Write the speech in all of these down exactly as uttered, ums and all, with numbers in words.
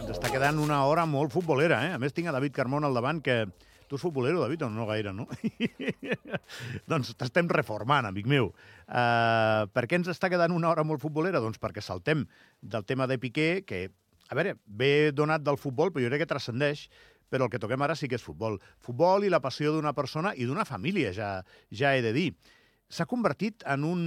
ens està quedant una hora molt futbolera, eh? A més, tinc a David Carmona al davant, que... Tu ets futbolero, David, o no gaire, no? Doncs t'estem reformant, amic meu. Uh, per què ens està quedant una hora molt futbolera? Doncs perquè saltem del tema de Piqué, que, a veure, ve donat del futbol, però jo crec que transcendeix, però el que toquem ara sí que és futbol. Futbol i la passió d'una persona i d'una família, ja, ja he de dir. S'ha convertit en un,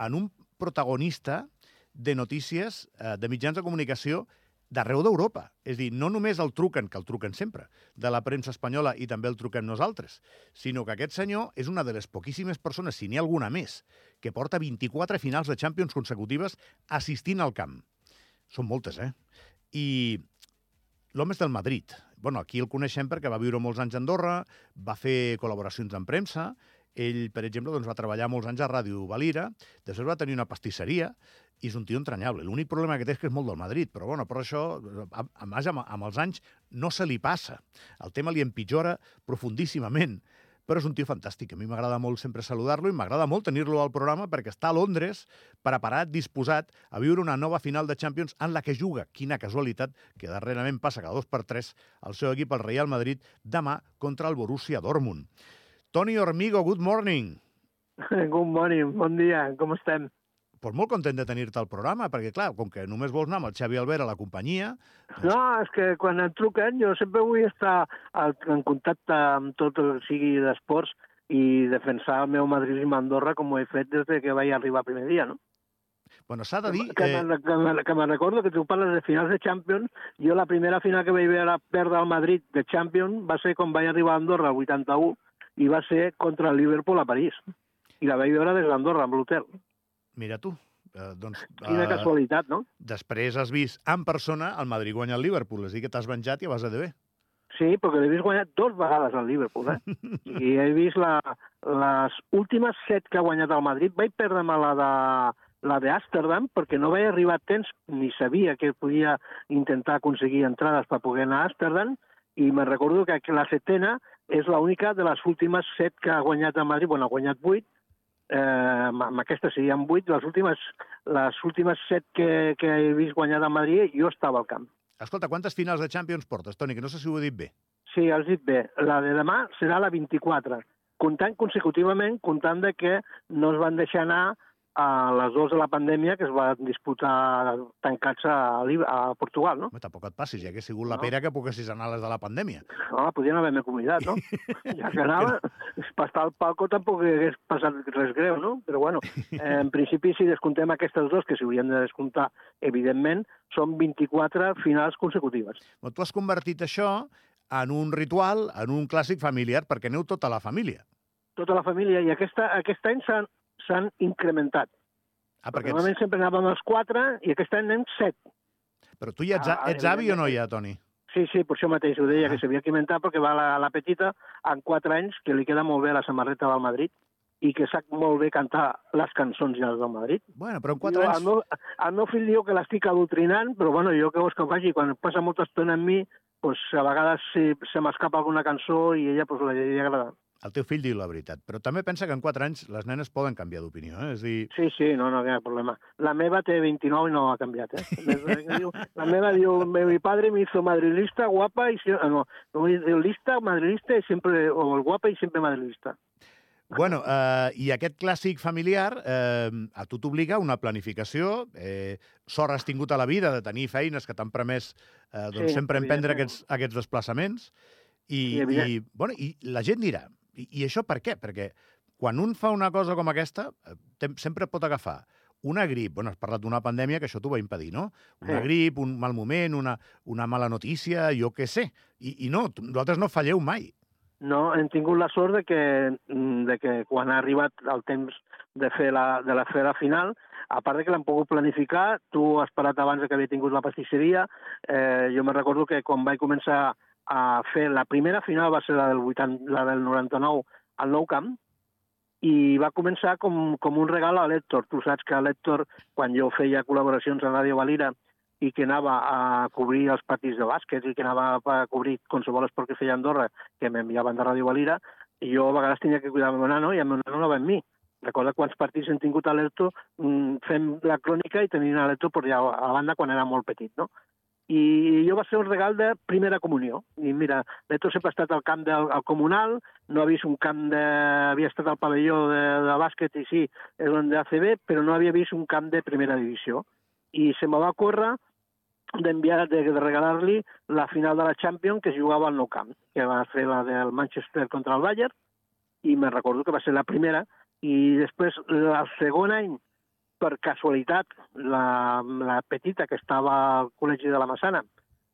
en un protagonista de notícies, eh, de mitjans de comunicació d'arreu d'Europa. És a dir, no només el truquen, que el truquen sempre, de la premsa espanyola i també el truquem nosaltres, sinó que aquest senyor és una de les poquíssimes persones, si n'hi ha alguna més, que porta vint-i-quatre finals de Champions consecutives assistint al camp. Són moltes, eh? I l'home és del Madrid. Bueno, aquí el coneixem perquè va viure molts anys a Andorra, va fer col·laboracions en premsa. Ell, per exemple, doncs, va treballar molts anys a Ràdio Valira, després va tenir una pastisseria, i és un tio entranyable. L'únic problema que té és que és molt del Madrid, però bueno, però això, a, a més, amb, amb els anys, no se li passa. El tema li empitjora profundíssimament, però és un tio fantàstic. A mi m'agrada molt sempre saludar-lo i m'agrada molt tenir-lo al programa perquè està a Londres, preparat, disposat a viure una nova final de Champions en la que juga, quina casualitat, que darrerament passa cada dos per tres el seu equip, el Real Madrid, demà contra el Borussia Dortmund. Toni Hormigo, good morning. Good morning, bon dia, com estem? Pues molt content de tenir-te al programa, perquè, clar, com que només vols anar amb el Xavi Albert a la companyia... Doncs... No, és que quan em truquen jo sempre vull estar en contacte amb tot el que sigui d'esports i defensar el meu madridisme a Andorra com ho he fet des que vaig arribar el primer dia, no? Bueno, s'ha de dir... Que, eh... que, que, que me'n recordo que tu parles de finals de Champions. Jo la primera final que vaig veure perdre al Madrid de Champions va ser quan vaig arribar a Andorra el vuitanta-u i va ser contra el Liverpool a París. I la vaig veure des d'Andorra, amb l'hotel. Mira tu. Eh, doncs, Quina eh, casualitat, no? Després has vist en persona el Madrid guanyar el Liverpool, és a dir que t'has venjat i vas a de bé. Sí, perquè l'he vist guanyar dos vegades al Liverpool, eh? I he vist la, les últimes set que ha guanyat el Madrid. Vaig perdre-me la de la d'Amsterdam perquè no vaig arribar a temps, ni sabia que podia intentar aconseguir entrades per poder anar a Amsterdam, i me recordo que la setena és l'única de les últimes set que ha guanyat el Madrid. Bueno, ha guanyat vuit, Eh, amb aquesta serien vuit, les últimes, les últimes set que, que he vist guanyar a Madrid, jo estava al camp. Escolta, quantes finals de Champions portes, Toni? Que no sé si ho he dit bé. Sí, has dit bé. La de demà serà la vint-i-quatre, comptant consecutivament, comptant de que no es van deixar anar a les dues de la pandèmia que es va disputar tancats a, a Portugal, no? Home, tampoc et passis, ja hagués sigut la no. pera que poguessis anar a les de la pandèmia. No, podien haver-me convidat, no? Ja que anava, per estar al palco tampoc hagués passat res greu, no? Però bueno, eh, en principi, si descontem aquestes dues, que s'haurien de descomptar, evidentment, són vint-i-quatre finals consecutives. Però tu has convertit això en un ritual, en un clàssic familiar, perquè aneu tota la família. Tota la família, i aquesta, aquest any s'han s'han incrementat. Ah, perquè Normalment ets... sempre anàvem els quatre i aquest any anem set. Però tu ja ets, ah, ets avi o no ja, Toni? Sí, sí, per això mateix ho deia, ah. que s'havia incrementat perquè va la, la petita en quatre anys, que li queda molt bé la samarreta del Madrid i que sap molt bé cantar les cançons ja del Madrid. Bueno, però en quatre jo, anys... El meu, el meu fill diu que l'estic adoctrinant, però bueno, jo què vols que faci? Quan passa molta estona amb mi, pues, a vegades se, se m'escapa alguna cançó i ella pues, li agrada. El teu fill diu la veritat, però també pensa que en quatre anys les nenes poden canviar d'opinió, eh? És dir... Sí, sí, no, no hi ha problema. La meva té vint-i-nou i no ha canviat, eh? La meva diu, mi padre me hizo madrilista, guapa, i no, lista, madrilista, i sempre, o el guapa i sempre madrilista. Bueno, eh, i aquest clàssic familiar eh, a tu t'obliga una planificació. Eh, sort has tingut a la vida de tenir feines que t'han permès eh, doncs, sí, sempre emprendre aquests, aquests desplaçaments. I, sí, i, bueno, i la gent dirà, i, i això per què? Perquè quan un fa una cosa com aquesta, te, sempre pot agafar una grip, bueno, has parlat d'una pandèmia que això t'ho va impedir, no? Una sí. grip, un mal moment, una, una mala notícia, jo què sé. I, i no, vosaltres no falleu mai. No, hem tingut la sort de que, de que quan ha arribat el temps de fer la, de la, fer la final, a part de que l'hem pogut planificar, tu has parat abans que havia tingut la pastisseria, eh, jo me recordo que quan vaig començar a fer la primera final va ser la del, vuitanta, la del noranta-nou al Nou Camp, i va començar com, com un regal a l'Hèctor. Tu saps que l'Hèctor, quan jo feia col·laboracions a Ràdio Valira i que anava a cobrir els partits de bàsquet i que anava a cobrir qualsevol esport que feia a Andorra, que m'enviaven de Ràdio Valira, i jo a vegades tenia que cuidar el meu nano i el meu nano no va amb mi. Recorda quants partits hem tingut a l'Hèctor fent la crònica i tenint a l'Hèctor per allà a la banda quan era molt petit, no? i jo va ser un regal de primera comunió. I mira, Neto sempre ha estat al camp del al comunal, no ha vist un camp de... havia estat al pavelló de, de bàsquet i sí, és on de A C B, però no havia vist un camp de primera divisió. I se me va córrer d'enviar, de, de regalar-li la final de la Champions que jugava al Nou Camp, que va fer la del Manchester contra el Bayern, i me recordo que va ser la primera, i després, el segon any, per casualitat, la, la petita que estava al Col·legi de la Massana,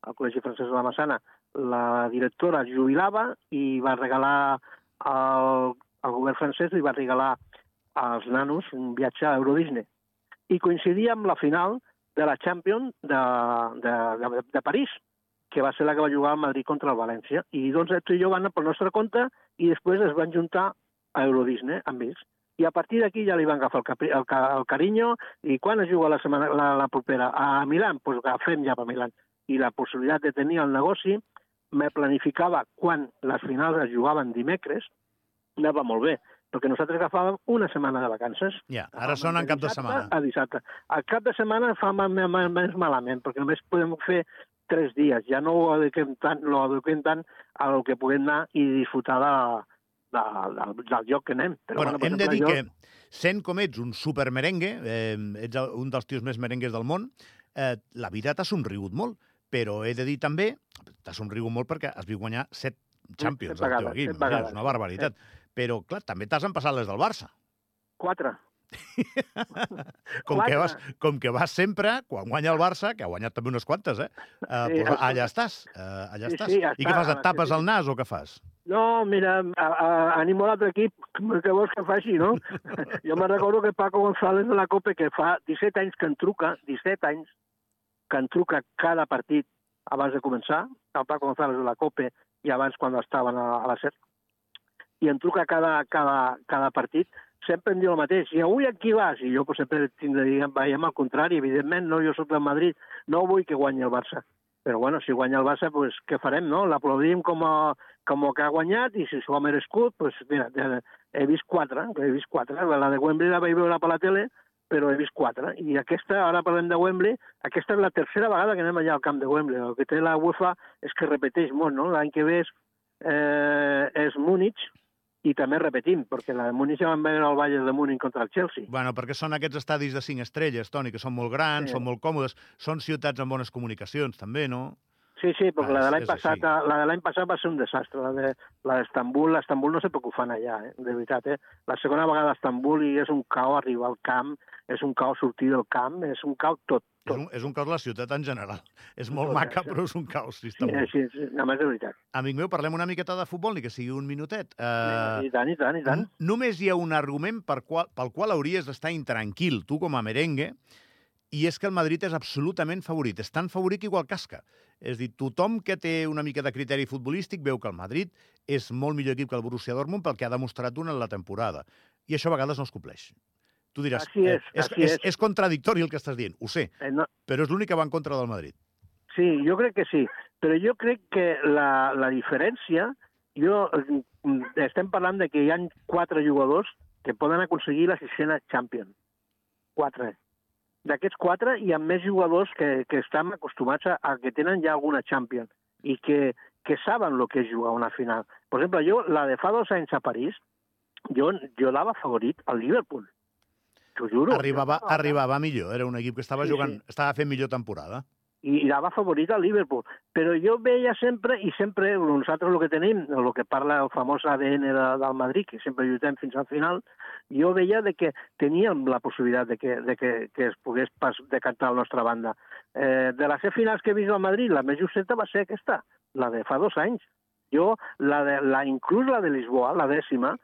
al Col·legi Francès de la Massana, la directora jubilava i va regalar al, al govern francès, li va regalar als nanos un viatge a Euro Disney. I coincidia amb la final de la Champions de, de, de, de París, que va ser la que va jugar al Madrid contra el València. I doncs tu i jo van anar pel nostre compte i després es van juntar a Euro Disney amb ells. I a partir d'aquí ja li van agafar el, capri, el, el carinyo, i quan es juga la, setmana, la, la propera? A Milà? Doncs pues agafem ja per Milà. I la possibilitat de tenir el negoci, me planificava quan les finals es jugaven dimecres, anava molt bé, perquè nosaltres agafàvem una setmana de vacances. Ja, ara són en cap de setmana. A dissabte. Al cap de setmana fa més malament, perquè només podem fer tres dies. Ja no ho adequem tant, lo adequem tant a lo que puguem anar i disfrutar de De, del, del lloc que anem. Però, bueno, bueno, hem de dir jo... que, sent com ets un supermerengue, eh, ets un dels tios més merengues del món, eh, la vida t'ha somrigut molt, però he de dir també, t'ha somrigut molt perquè has vist guanyar set Champions al teu equip, és una barbaritat. Sí. Però, clar, també t'has empassat les del Barça. Quatre. com, que vas, com que vas sempre, quan guanya el Barça, que ha guanyat també unes quantes, eh? Uh, sí, pues, allà estàs, uh, allà sí, estàs. Sí, ja I què fas, et tapes el nas o què fas? No, mira, a, a, animo l'altre equip, que vols que faci, no? Jo me'n recordo que Paco González de la Copa, que fa disset anys que en truca, disset anys, que en truca cada partit abans de començar, el Paco González de la Copa, i abans quan estaven a, a la SER, i en truca cada, cada, cada partit, sempre em diu el mateix, i avui aquí vas? I jo pues, sempre tinc de dir, veiem al contrari, evidentment, no, jo soc del Madrid, no vull que guanyi el Barça. Però bueno, si guanya el Barça, pues, què farem, no? L'aplaudim com, a, com a que ha guanyat, i si s'ho ha merescut, pues, mira, he vist quatre, he vist quatre. La de Wembley la vaig veure per la tele, però he vist quatre. I aquesta, ara parlem de Wembley, aquesta és la tercera vegada que anem allà al camp de Wembley. El que té la UEFA és que repeteix molt, no? L'any que ve és, eh, és Múnich, i també repetim, perquè la de Múnich ja van veure el Bayern de Múnich contra el Chelsea. Bueno, perquè són aquests estadis de cinc estrelles, Toni, que són molt grans, sí. Són molt còmodes, són ciutats amb bones comunicacions, també, no? Sí, sí, perquè ah, la de l'any passat, la de l'any passat va ser un desastre. La de la d'Estambul, l'Estambul no sé per què ho fan allà, eh? De veritat, eh? La segona vegada a Estambul i és un caos arribar al camp, és un caos sortir del camp, és un caos tot. És un, és un caos la ciutat en general. És molt tot maca, però és un caos, sí, sí, sí, sí, només de veritat. Amic meu, parlem una miqueta de futbol, ni que sigui un minutet. Uh, I tant, i tant, i tant. Només hi ha un argument per qual, pel qual hauries d'estar intranquil, tu com a merengue, i és que el Madrid és absolutament favorit. És tan favorit que igual casca. És a dir, tothom que té una mica de criteri futbolístic veu que el Madrid és molt millor equip que el Borussia Dortmund pel que ha demostrat durant la temporada. I això a vegades no es compleix. Tu diràs, és, eh, és, és, és contradictori el que estàs dient, ho sé, eh, no. Però és l'únic que va en contra del Madrid. Sí, jo crec que sí, però jo crec que la, la diferència, jo, estem parlant de que hi ha quatre jugadors que poden aconseguir la sisena Champions. Quatre. D'aquests quatre hi ha més jugadors que, que estan acostumats a, a que tenen ja alguna Champions i que, que saben el que és jugar una final. Per exemple, jo, la de fa dos anys a París, jo, jo dava favorit al Liverpool. T'ho juro. Arribava, arribava millor, era un equip que estava sí, jugant, sí. Estava fent millor temporada. I dava favorit al Liverpool. Però jo veia sempre, i sempre nosaltres el que tenim, el que parla el famós A D N de, del Madrid, que sempre lluitem fins al final, jo veia de que teníem la possibilitat de que, de que, que es pogués pas decantar a la nostra banda. Eh, de les set finals que he vist al Madrid, la més justeta va ser aquesta, la de fa dos anys. Jo, la de, la, inclús la de Lisboa, la dècima,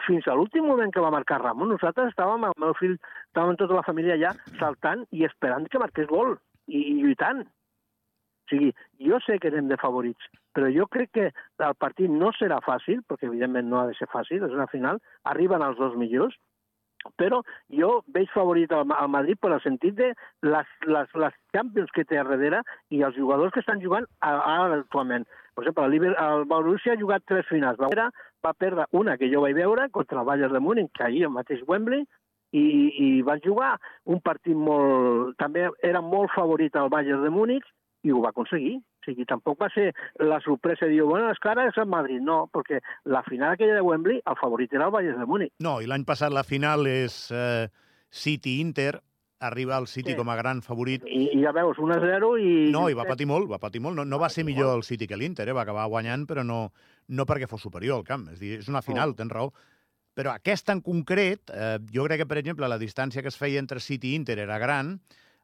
fins a l'últim moment que va marcar Ramon, nosaltres estàvem, el meu fill, estàvem tota la família allà saltant i esperant que marqués gol i, i lluitant. O sigui, jo sé que anem de favorits, però jo crec que el partit no serà fàcil, perquè evidentment no ha de ser fàcil, és una final, arriben els dos millors, però jo veig favorit al, al Madrid per el sentit de les, les, les Champions que té a darrere i els jugadors que estan jugant ara actualment. Per exemple, el, el Borussia ha jugat tres finals. Va, va perdre una que jo vaig veure contra el Bayern de Múnich, que ahir al mateix Wembley, i, i va jugar un partit molt... També era molt favorit al Bayern de Múnich, i ho va aconseguir. O sigui, tampoc va ser la sorpresa de dir, bueno, és que ara és el Madrid. No, perquè la final aquella de Wembley, el favorit era el Bayern de Múnich. No, i l'any passat la final és eh, City-Inter, arriba el City sí. com a gran favorit. I, i ja veus, un a zero i... No, i va patir molt, va patir molt. No, no va ser millor el City que l'Inter, eh? Va acabar guanyant, però no, no perquè fos superior al camp. És dir, és una final, tens raó. Però aquesta en concret, eh, jo crec que, per exemple, la distància que es feia entre City i Inter era gran,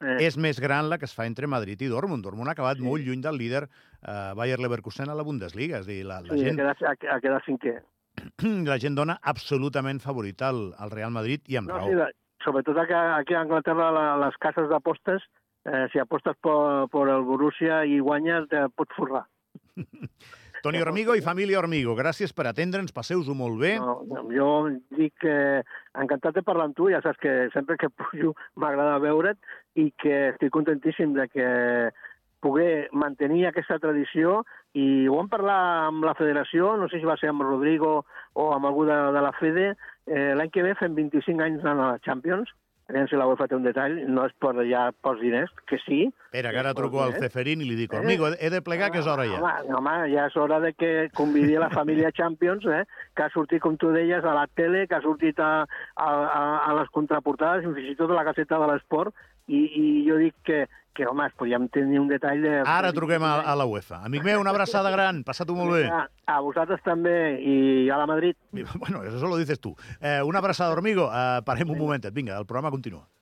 eh. és més gran la que es fa entre Madrid i Dortmund. Dortmund ha acabat sí. molt lluny del líder eh, Bayer Leverkusen a la Bundesliga. És dir, la, la sí, gent... ha quedat, ha quedat cinquè. La gent dona absolutament favorit al, al Real Madrid i amb no, raó. Sí, sobretot aquí, aquí a Anglaterra, la, les cases d'apostes, eh, si apostes per, per el Borussia i guanyes, te pots forrar. Toni Hormigo i família Hormigo, gràcies per atendre'ns, passeu-ho molt bé. No, jo dic que encantat de parlar amb tu, ja saps que sempre que pujo m'agrada veure't i que estic contentíssim de que poder mantenir aquesta tradició i ho vam parlar amb la federació, no sé si va ser amb Rodrigo o amb algú de, de la Fede, eh, l'any que ve fem vint-i-cinc anys anant a la Champions, aviam si la UEFA té un detall, no és per ja pels diners, que sí. Espera, que ara truco al Ceferín i li dic, Hormigo, he de plegar que és hora ja. Home, home, ja és hora de que convidi la família Champions, eh, que ha sortit, com tu deies, a la tele, que ha sortit a, a, a les contraportades, fins i tot a la Gaceta de l'Esport, i, i jo dic que, que home, podríem tenir un detall de... Ara truquem a, a la UEFA. Amic meu, una abraçada gran, passa-t'ho molt bé. A, a vosaltres també, i a la Madrid. Bueno, eso lo dices tú. Eh, una abraçada, Hormigo. Eh, parem un momentet. Vinga, el programa continua.